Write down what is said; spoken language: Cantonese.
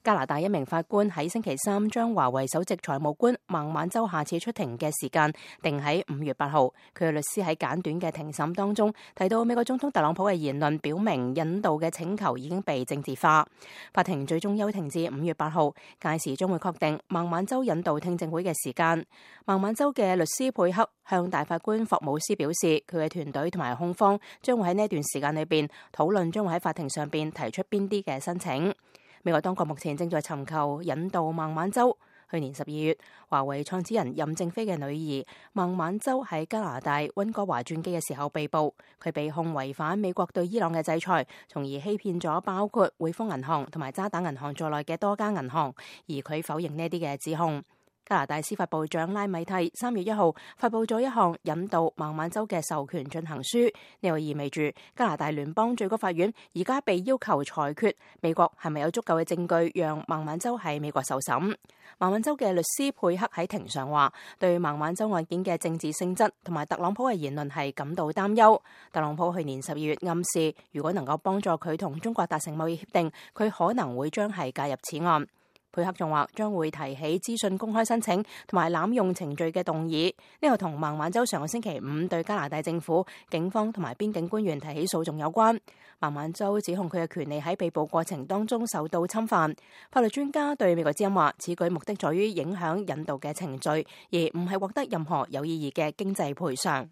加拿大一名法官喺星期三將華為首席財務官孟晚舟下次出庭嘅時間定喺5月8號。佢嘅律師喺簡短嘅庭審當中提到，美國總統特朗普嘅言論表明引渡嘅請求已經被政治化。法庭最終休庭至5月8號，屆時將會確定孟晚舟引渡聽證會嘅時間。孟晚舟嘅律師佩克向大法官霍姆斯表示，佢嘅團隊同埋控方將會喺呢一段時間裏邊討論，將會喺法庭上邊提出邊啲嘅申請。美國當局目前正在尋求引渡孟晚舟。去年12月，華為創始人任正非嘅女兒孟晚舟喺加拿大溫哥華轉機嘅時候被捕，佢被控違反美國對伊朗嘅制裁，從而欺騙咗包括匯豐銀行同埋渣打銀行在內嘅多家銀行，而佢否認呢啲嘅指控。加拿大司法部長拉米蒂3月1號發佈咗一項引渡孟晚舟嘅授權進行書，呢個意味住加拿大聯邦最高法院而家被要求裁決美國係咪有足夠嘅證據讓孟晚舟喺美國受審。孟晚舟嘅律師佩克喺庭上話，對孟晚舟案件嘅政治性質同埋特朗普嘅言論係感到擔憂。特朗普去年12月暗示，如果能夠幫助佢同中國達成貿易協定，佢可能會將係介入此案。佩克仲話將會提起資訊公開申請同埋濫用程序嘅動議，呢個同孟晚舟上個星期五對加拿大政府、警方同埋邊境官員提起訴訟有關。孟晚舟指控佢嘅權利喺被捕過程當中受到侵犯。法律專家對美國之音話，此舉目的在於影響引渡嘅程序，而唔係獲得任何有意義嘅經濟賠償。